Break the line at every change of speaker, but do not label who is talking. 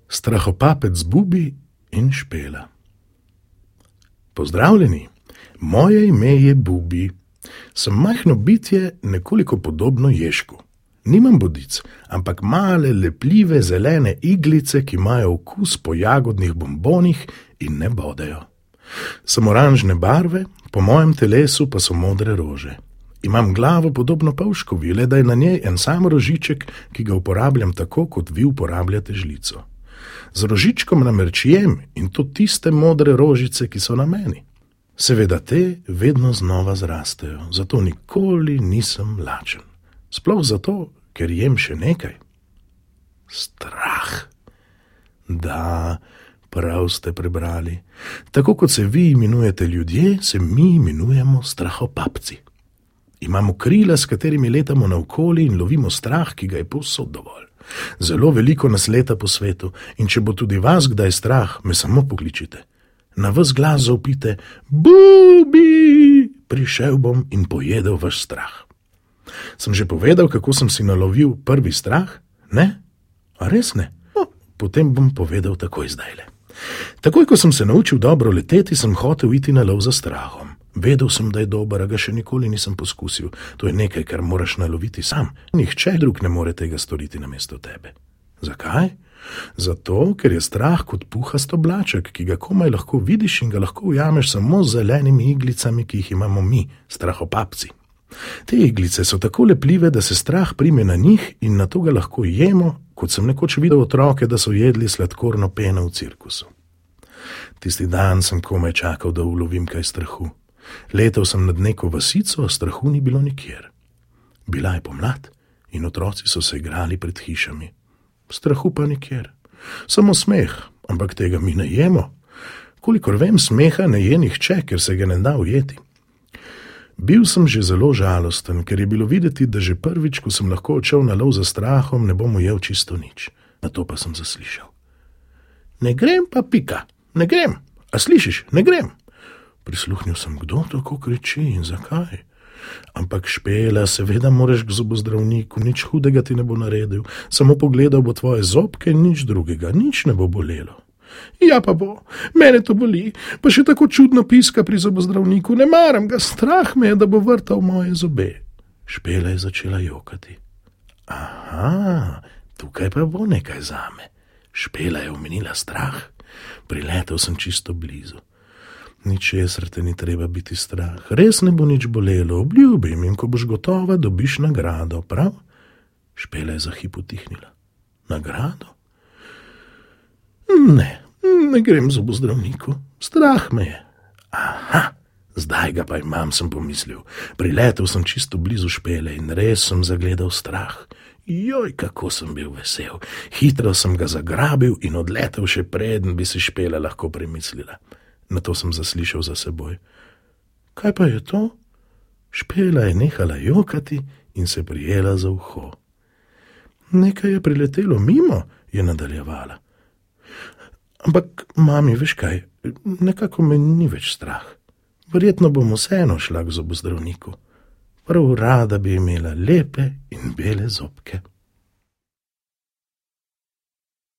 Strahopapec Bubi in Špela. Pozdravljeni, moje ime je Bubi. Sem majhno bitje, nekoliko podobno ježku. Nimam bodic, ampak male, lepljive, zelene iglice, ki imajo okus po jagodnih bombonih in ne bodejo. Sem oranžne barve, po mojem telesu pa so modre rože. Imam glavo podobno pavškovi, le da je na njej en sam rožiček, ki ga uporabljam tako, kot vi uporabljate žlico. Z rožičkom namrčijem in to tiste modre rožice, ki so na meni. Seveda te vedno znova zrastejo, zato nikoli nisem lačen. Sploh zato, ker jem še nekaj. Strah. Da, prav ste prebrali. Tako kot se vi imenujete ljudje, se mi imenujemo strahopapci. Imamo krila, s katerimi letamo naokoli in lovimo strah, ki ga je povsod dovolj. Zelo veliko nas leta po svetu in če bo tudi vas kdaj strah, me samo pokličite. Na ves glas zaupite: Bubi, prišel bom in pojedel vaš strah. Sem že povedal, kako sem si nalovil prvi strah? Ne? A res ne? Potem bom povedal takoj zdajle. Takoj, ko sem se naučil dobro leteti, sem hotel iti na lov za strahom. Vedel sem, da je dober, a ga še nikoli nisem poskusil. To je nekaj, kar moraš naloviti sam. Nihče drug ne more tega storiti namesto tebe. Zakaj? Zato, ker je strah kot puhast oblaček, ki ga komaj lahko vidiš in ga lahko ujameš samo z zelenimi iglicami, ki jih imamo mi, strahopapci. Te iglice so tako lepljive, da se strah prime na njih in na to ga lahko jemo, kot sem nekoč videl otroke, da so jedli sladkorno peno v cirkusu. Tisti dan sem komaj čakal, da ulovim kaj strahu. Letel sem nad neko vasico, a strahu ni bilo nikjer. Bila je pomlad in otroci so se igrali pred hišami. Strahu pa nikjer. Samo smeh, ampak tega mi ne jemo. Kolikor vem, smeha ne je nihče, ker se ga ne da ujeti. Bil sem že zelo žalosten, ker je bilo videti, da že prvič, ko sem lahko odšel na lov za strahom, ne bom ujel čisto nič. Na to pa sem zaslišal: Ne grem pa pika, ne grem. A slišiš, ne grem. Prisluhnil sem, kdo tako kriči in zakaj. Ampak Špela, seveda moraš k zobozdravniku, nič hudega ti ne bo naredil, samo pogledal bo tvoje zobke in nič drugega, nič ne bo bolelo. Ja pa bo, mene to boli, pa še tako čudno piska pri zobozdravniku, ne maram ga, strah me je, da bo vrtal moje zobe. Špela je začela jokati. Aha, tukaj pa bo nekaj zame. Špela je omenila strah, priletel sem čisto blizu. Ničesar te ni treba biti strah, res ne bo nič bolelo, obljubim, in ko boš gotova, dobiš nagrado, prav? Špela je za hip utihnila. Nagrado? Ne grem zobozdravniku, strah me je. Aha, zdaj ga pa imam, sem pomislil. Priletel sem čisto blizu Špele in res sem zagledal strah. Joj, kako sem bil vesel. Hitro sem ga zagrabil in odletel še preden bi si Špela lahko premislila. Nato sem zaslišal za seboj: Kaj pa je to? Špela je nehala jokati in se prijela za uho. Nekaj je priletelo mimo, je nadaljevala. Ampak, mami, veš kaj, nekako me ni več strah. Verjetno bom vseeno šla k zobozdravniku. Prav rada bi imela lepe in bele zobke.